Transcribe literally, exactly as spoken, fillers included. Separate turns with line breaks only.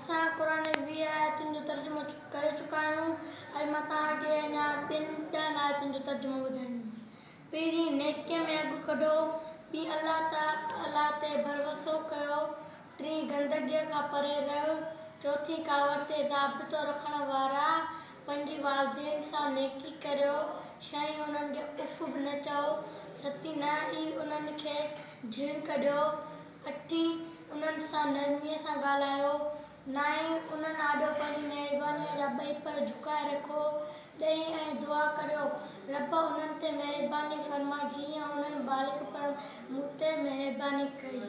اسان قرآن جي ويهه آيتن جو ترجمو ڪري چڪا آهيون. اڄ مان توهان کي اڃا ٻن ڏهن آيتن جو ترجمو ٻڌائيندم. پهرين، نيڪيء ۾ اڳ ڪڍو. ٻي، الله تعاليٰ تي ڀروسو ڪيو. ٽين، گندگيء کان پري رهو. چوٿين، ڪاوڙ تي ضابطو رکڻ وارا. پنجين، والدين سان نيڪي ڪريو. ڇهين، انهن کي اف به نه چئو. ستين، نه ئي انهن کي جهڻڪ ڏيو. اٺين، انهن سان نرميء سان ڳالهايو. نائين، انهن آڏو پنهنجي مهربانيء جا ٻئي پر جهڪائي رکو. ڏهين، ۽ دعا ڪريو، رب انهن تي مهرباني فرما جيئن انهن ٻالڪپڻ ۾ مون تي مهرباني ڪئي.